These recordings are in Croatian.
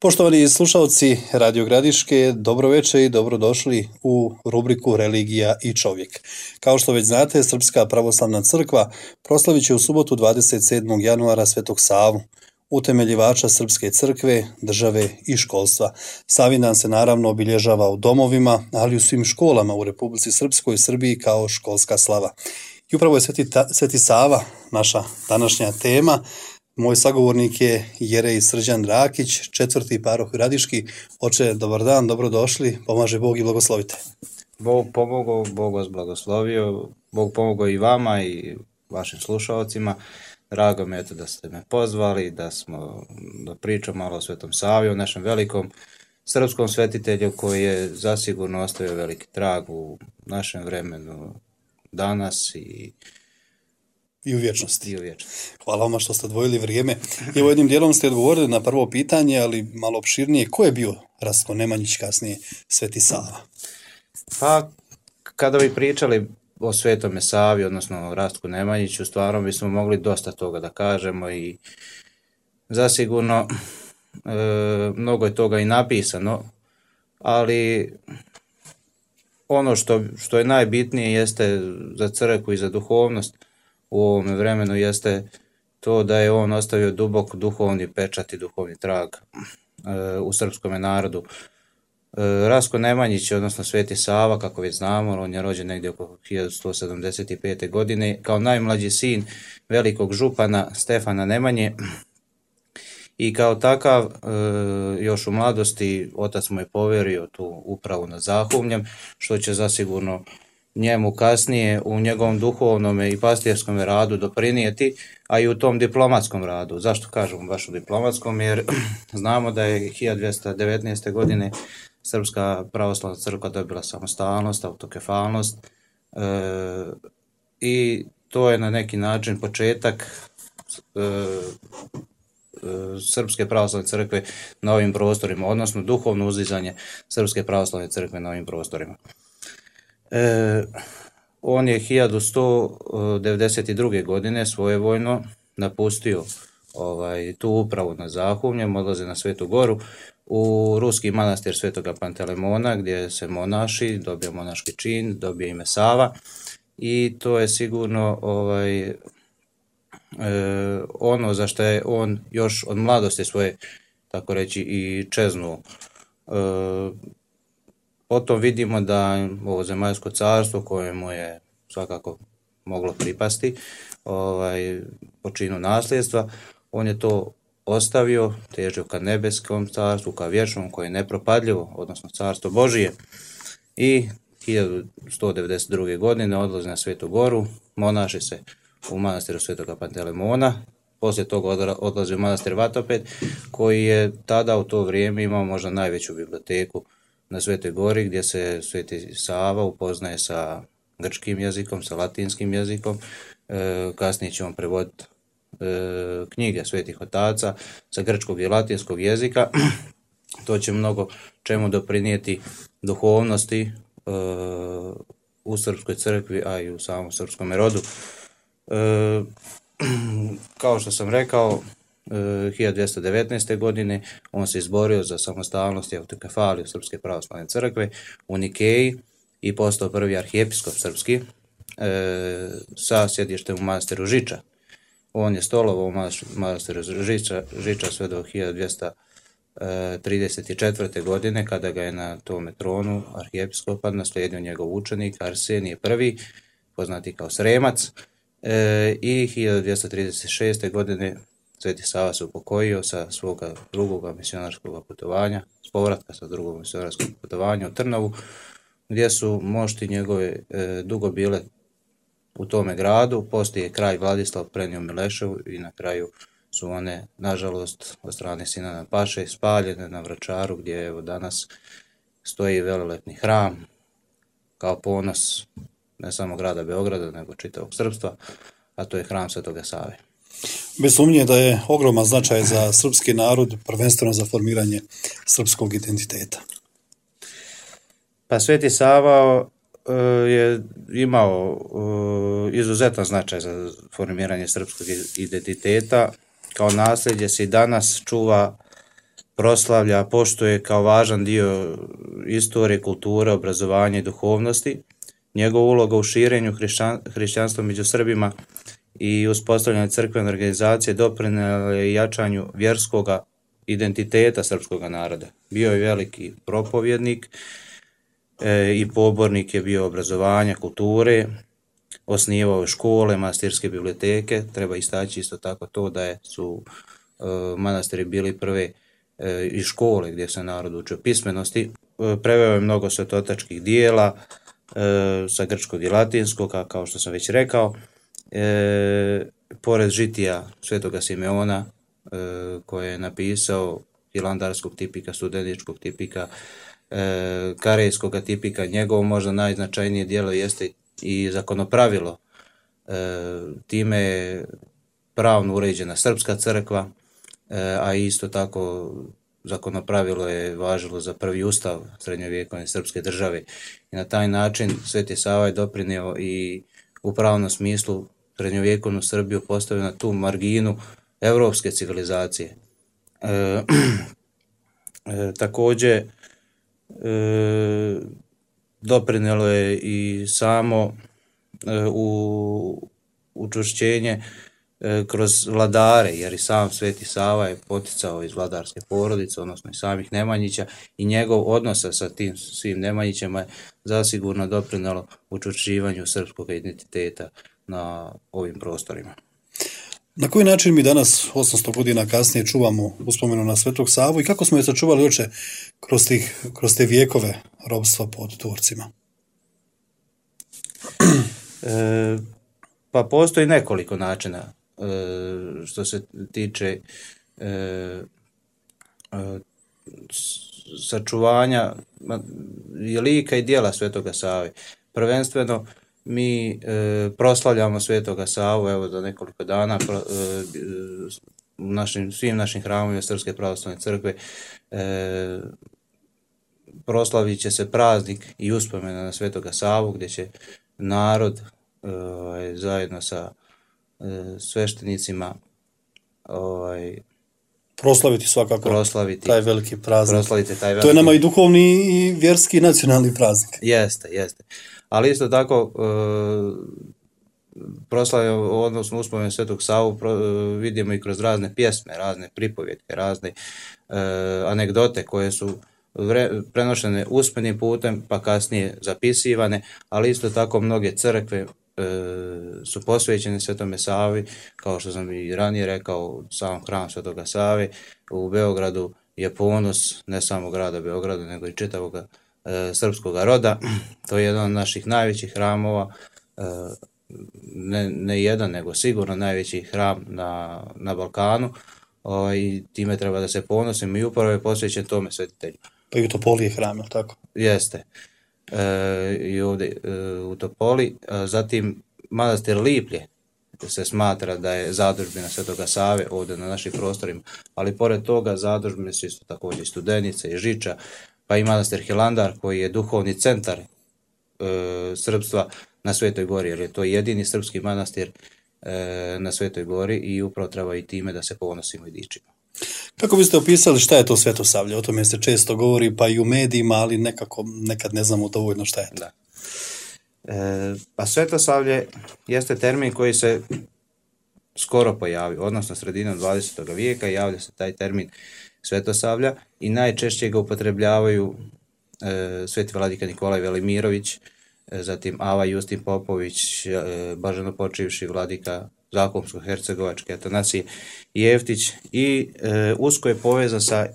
Poštovani slušalci Radio Gradiške, dobro večer i dobrodošli u rubriku Religija i čovjek. Kao što već znate, Srpska pravoslavna crkva proslavit će u subotu 27. januara Svetog Savu, utemeljivača Srpske crkve, države i školstva. Savindan se naravno obilježava u domovima, ali i u svim školama u Republici Srpskoj i Srbiji kao školska slava. I upravo je Sveti Sava naša današnja tema. Moj sagovornik je Jerej Srđan Rakić, četvrti paroh Gradiški. Oče, dobar dan, dobrodošli, pomaže Bog i blagoslovite. Bog pomogao, Bog vas blagoslovio, Bog pomogao i vama i vašim slušalcima. Drago mi je da ste me pozvali, da pričamo malo o Svetom Savi, o našem velikom srpskom svetitelju koji je zasigurno ostavio veliki trag u našem vremenu danas I u vječnosti. vječnosti. Hvala vam što ste odvojili vrijeme. I evo jednim dijelom ste odgovorili na prvo pitanje, ali malo opširnije. Ko je bio Rastko Nemanjić, kasnije Sveti Sava? Pa, kada bi pričali o Svetome Savi, odnosno o Rastku Nemanjiću, stvarno bismo mogli dosta toga da kažemo i zasigurno mnogo je toga i napisano, ali ono što je najbitnije jeste za crkvu i za duhovnost u ovome vremenu jeste to da je on ostavio dubok duhovni pečat i duhovni trag u srpskom narodu. Rastko Nemanjić, odnosno Sveti Sava, kako već znamo, on je rođen negdje oko 1175. godine kao najmlađi sin velikog župana Stefana Nemanje i kao takav još u mladosti otac mu je poverio tu upravu nad Zahumljem, što će zasigurno njemu kasnije u njegovom duhovnom i pastirskom radu doprinijeti, a i u tom diplomatskom radu. Zašto kažemo baš u diplomatskom? Jer znamo da je 1219. godine Srpska pravoslavna crkva dobila samostalnost, autokefalnost i to je na neki način početak Srpske pravoslavne crkve na ovim prostorima, odnosno duhovno uzizanje Srpske pravoslavne crkve na ovim prostorima. On je 1192. godine svojevoljno napustio tu upravu na Zahumljem, odlaze na Svetu Goru u ruski manastir Svetoga Pantelemona, gdje se monaši, dobio monaški čin, dobio ime Sava i to je sigurno ono za što je on još od mladosti svoje, tako reći, i čeznuo. Potom vidimo da ovo zemaljsko carstvo kojemu je svakako moglo pripasti po činu nasljedstva, on je to ostavio, težio ka nebeskom carstvu, ka vječnom koje je nepropadljivo, odnosno carstvo Božije. I 1192. godine odlazi na Svetu Goru, monaši se u manastiru Svetoga Pantelemona, poslije toga odlazi u manastir Vatoped, koji je tada u to vrijeme imao možda najveću biblioteku na Svetoj Gori, gdje se Sveti Sava upoznaje sa grčkim jezikom, sa latinskim jezikom. Kasnije će on prevoditi knjige svetih otaca sa grčkog i latinskog jezika. To će mnogo čemu doprinijeti duhovnosti u Srpskoj crkvi, a i u samom srpskom rodu. Kao što sam rekao, 1219. godine on se izborio za samostalnost i autokefaliju Srpske pravoslavne crkve u Nikeji i postao prvi arhijepiskop srpski sa sjedištem u manastiru Žiča. On je stolovao u manastiru Žiča sve do 1234. godine, kada ga je na tome tronu arhijepiskopa naslijedio njegov učenik Arsenije I, poznati kao Sremac, i 1236. godine Sveti Sava se upokojio sa svoga drugog misionarskog putovanja, s povratka sa drugog misionarskog putovanja u Trnavu, gdje su mošti njegove dugo bile u tome gradu. Poslije je kralj Vladislav prenio Mileševu i na kraju su one, nažalost, od strane Sinana Paše spaljene na Vračaru, gdje evo danas stoji velelepni hram kao ponos ne samo grada Beograda, nego čitavog srpstva, a to je hram Svetoga Save. Bez sumnje da je ogroman značaj za srpski narod, prvenstveno za formiranje srpskog identiteta. Pa Sveti Sava je imao izuzetan značaj za formiranje srpskog identiteta. Kao nasljeđe se i danas čuva proslavlja, poštuje kao važan dio istorije, kulture, obrazovanja i duhovnosti. Njegova uloga u širenju hrišćanstva među Srbima i uspostavljanju crkvene organizacije doprinijela je jačanju vjerskog identiteta srpskog naroda. Bio je veliki propovjednik i pobornik je bio obrazovanja, kulture, osnivao škole, manastirske biblioteke. Treba istaći isto tako to da su manastiri bili prve i škole gdje se narod učio pismenosti. Preveo je mnogo svetotačkih dijela sa grčkog i latinskog, a kao što sam već rekao, pored žitija Svetoga Simeona koje je napisao, hilandarskog tipika, studeničkog tipika, karejskog tipika, njegovo možda najznačajnije djelo jeste i zakonopravilo. Time je pravno uređena srpska crkva, a isto tako zakonopravilo je važilo za prvi ustav srednjovjekovne srpske države. I na taj način Sveti Sava je doprinio i u pravnom smislu srednjovjekovnu Srbiju postavio na tu marginu evropske civilizacije. Također doprinijelo je i samo učvršćenje kroz vladare, jer i sam Sveti Sava je poticao iz vladarske porodice, odnosno i samih Nemanjića, i njegov odnos sa tim svim Nemanjićima je zasigurno doprinijelo učvršćivanju srpskog identiteta na ovim prostorima. Na koji način mi danas, 800 godina kasnije, čuvamo uspomenu na Svetog Savu i kako smo je sačuvali oče kroz te vijekove ropstva pod Turcima? Pa postoji nekoliko načina što se tiče sačuvanja lika i djela Svetoga Save. Prvenstveno mi proslavljamo Svetoga Savu, evo za nekoliko dana u svim našim hramovima Srpske pravoslavne crkve proslavit će se praznik i uspomena na Svetoga Savu, gdje će narod zajedno sa sveštenicima proslaviti svakako taj veliki praznik. To je nama i duhovni i vjerski i nacionalni praznik. Jeste. Ali isto tako proslavljamo, odnosno uspomenu Svetog Savu vidimo i kroz razne pjesme, razne pripovjetke, razne anegdote koje su prenošene usmenim putem pa kasnije zapisivane, ali isto tako mnoge crkve su posvećene Svetome Savi, kao što sam i ranije rekao, sam hram Svetoga Save u Beogradu je ponos ne samo grada Beograda, nego i čitavog srpskog roda. To je jedan od naših najvećih hramova, ne jedan, nego sigurno najveći hram na Balkanu, i time treba da se ponosimo i upravo je posvećen tome svetitelju. Pa i u Topoli je hram, je tako? Jeste. I ovdje u Topoli. Zatim manastir Liplje se smatra da je zadužbina Svetoga Save ovdje na našim prostorima, ali pored toga zadužbine su isto također i Studenica i Žiča, pa i manastir Hilandar koji je duhovni centar srpstva na Svetoj Gori, jer je to jedini srpski manastir na Svetoj Gori i upravo treba i time da se ponosimo i dičimo. Kako biste opisali šta je to Svetosavlje? O tome se često govori pa i u medijima, ali nekad ne znamo dovoljno šta je to. Da. Pa Svetosavlje jeste termin koji se skoro pojavio, odnosno sredinom 20. vijeka javlja se taj termin Svetosavlja i najčešće ga upotrebljavaju sveti vladika Nikolaj Velimirović, zatim Ava Justin Popović, blaženopočivši vladika Zakupsko-hercegovačke Atanasije Jeftić, i usko je povezan sa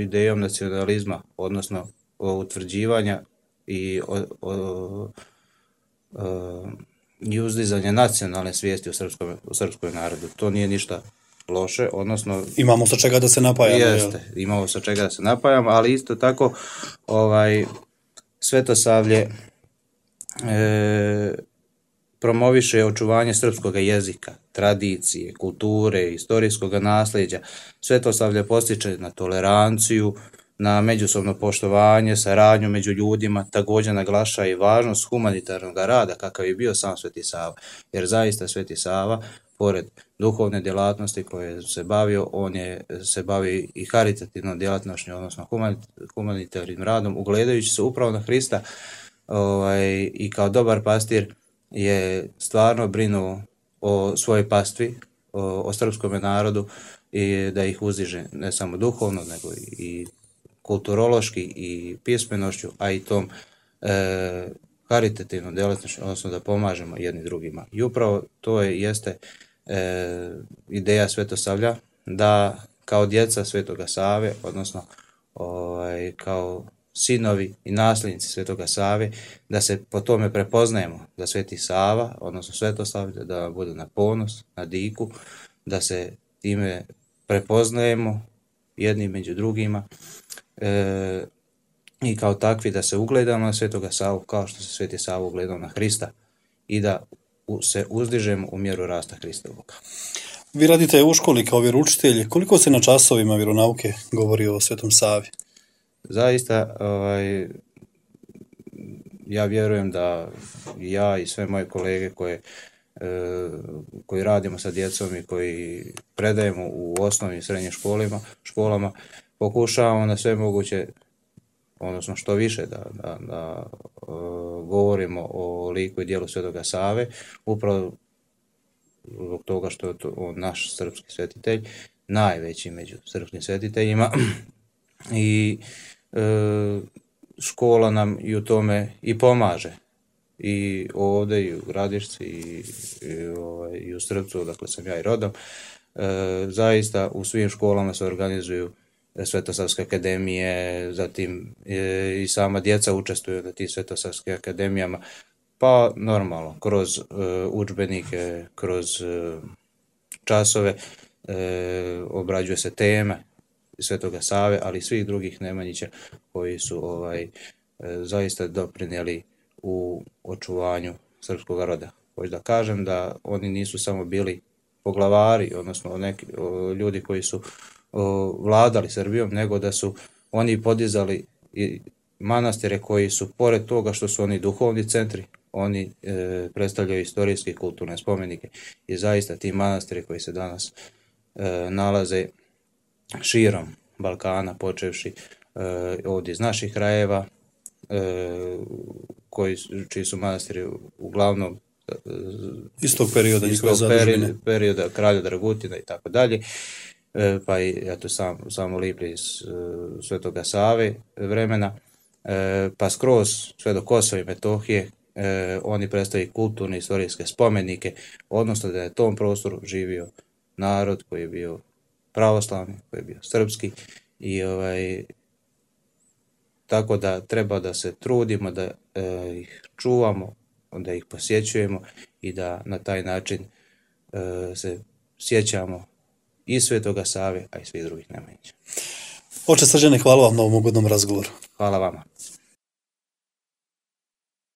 idejom nacionalizma, odnosno utvrđivanja i uzdizanja nacionalne svijesti u srpskom narodu. To nije ništa loše, odnosno imamo sa čega da se napajamo. Jeste, imamo sa čega da se napajamo, ali isto tako Svetosavlje promoviše očuvanje srpskog jezika, tradicije, kulture, istorijskog nasljeđa. Svetosavlje postiče na toleranciju, na međusobno poštovanje, saradnju među ljudima, također naglašava i važnost humanitarnog rada kakav je bio sam Sveti Sava, jer zaista Sveti Sava, pored duhovne djelatnosti koje se bavio, se bavi i karitativnom djelatnošću, odnosno humanitarnim radom, ugledajući se upravo na Hrista i kao dobar pastir je stvarno brinuo o svojoj pastvi, o srpskom narodu i da ih uzdiže ne samo duhovno, nego i kulturološki i pismenošću, a i tom karitativnom djelatnošću, odnosno da pomažemo jedni drugima. I upravo to jeste ideja Svetosavlja, da kao djeca Svetoga Save, odnosno kao sinovi i nasljednici Svetoga Save, da se po tome prepoznajemo, da Sveti Sava, odnosno Svetosavlje, da bude na ponos, na diku, da se time prepoznajemo jedni među drugima i kao takvi da se ugledamo na Svetoga Savu kao što se Sveti Sava ugledao na Hrista i da se uzdižemo u mjeru rasta Hristovoga. Vi radite u školi kao vjeroučitelj. Koliko se na časovima vjeronauke govori o Svetom Savi? Zaista, ja vjerujem da ja i sve moje kolege koji radimo sa djecom i koji predajemo u osnovnim i srednjim školama, pokušavamo na sve moguće, odnosno što više da govorimo o liku i djelu Svetoga Save, upravo zbog toga što je on naš srpski svetitelj, najveći među srpskim svetiteljima i škola nam i u tome i pomaže. I ovdje i u Gradišci i u Srpcu, dakle sam ja i rodom, zaista u svim školama se organizuju Svetosavske akademije, zatim i sama djeca učestvuju na tim Svetosavskim akademijama, pa normalno kroz udžbenike, kroz časove obrađuje se teme Svetoga Save, ali i svih drugih Nemanjića koji su zaista doprinijeli u očuvanju srpskog roda. Hoću da kažem da oni nisu samo bili poglavari, odnosno neki ljudi koji su vladali Srbijom, nego da su oni podizali i manastire koji su, pored toga što su oni duhovni centri, oni predstavljaju istorijske i kulturne spomenike i zaista ti manastiri koji se danas nalaze širom Balkana, počevši ovdje iz naših krajeva, čiji su manastiri uglavnom istog perioda kralja Dragutina i tako dalje, pa i samo Liplje iz Svetoga Save vremena, pa skroz sve do Kosova i Metohije, oni predstavljaju kulturne istorijske spomenike, odnosno da je na tom prostoru živio narod koji je bio pravoslavni, koji je bio srpski i tako da treba da se trudimo da ih čuvamo, da ih posjećujemo i da na taj način se sjećamo i Svetoga Save, a i svih drugih Nemanjića. Oče Srđane, hvala vam na ovom ugodnom razgovoru. Hvala vama.